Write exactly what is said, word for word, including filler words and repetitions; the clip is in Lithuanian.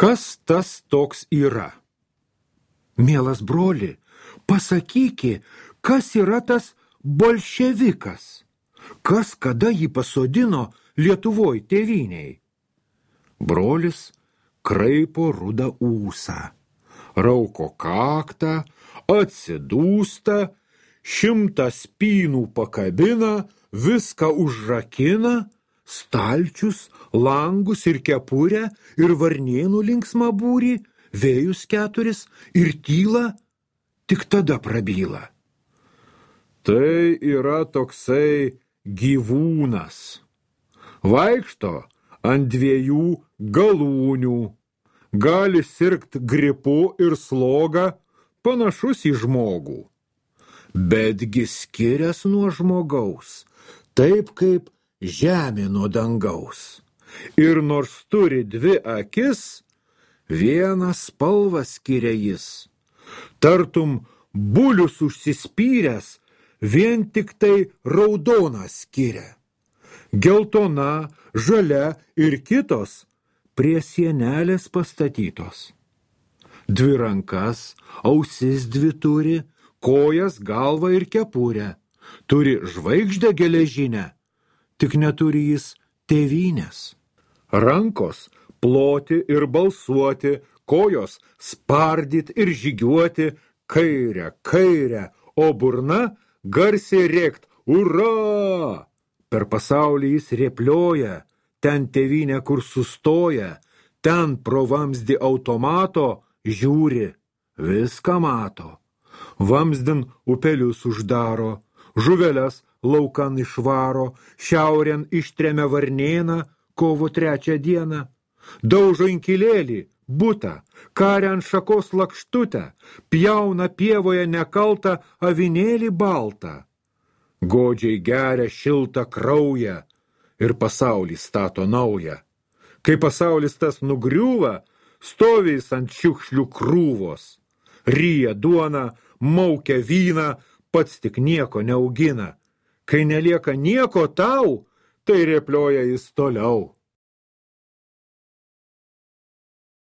Kas tas toks yra? Mielas broli, pasakyki, kas yra tas bolševikas? Kas kada jį pasodino Lietuvoj tėvyniai? Brolis kraipo rudą ūsą, rauko kaktą, atsidūsta, šimtą spynų pakabina, viską užrakina, stalčius, langus ir kepurę ir varnėnų linksmą būrį, vėjus keturis ir tyla, tik tada prabyla. Tai yra toksai gyvūnas. Vaikšto ant dviejų galūnių, gali sirgt gripu ir slogą, panašus į žmogų. Betgi skirias nuo žmogaus, taip kaip žemė nuo dangaus. Ir nors turi dvi akis, vieną spalvą skiria jis. Tartum bulius užsispyręs, vien tik tai raudoną skiria. Geltona, žalia ir kitos prie sienelės pastatytos. Dvi rankas, ausis dvi turi, kojas, galvą ir kepurę. Turi žvaigždę geležinę, tik neturi jis tėvynės. Rankos ploti ir balsuoti, kojos spardyt ir žygiuoti, kairę, kairę, o burna garsiai rėkt ura! Per pasaulį jis rėplioja, ten tėvynė, kur sustoja, ten pro vamzdį automato žiūri, viską mato. Vamzdin upelius uždaro, žuveles laukan išvaro, šiaurėn ištremia varnėną kovo trečią dieną. Daužo inkilėlį, butą, karia ant šakos lakštutę, pjauna pievoje nekaltą avinėlį baltą. Godžiai geria šiltą kraują ir pasaulį stato naują. Kai pasaulis tas nugriūva, stovi jis ant šiukšlių krūvos. Ryja duoną, maukia vyną, pats tik nieko neaugina. Kai nelieka nieko tau, tai rėplioja jis toliau.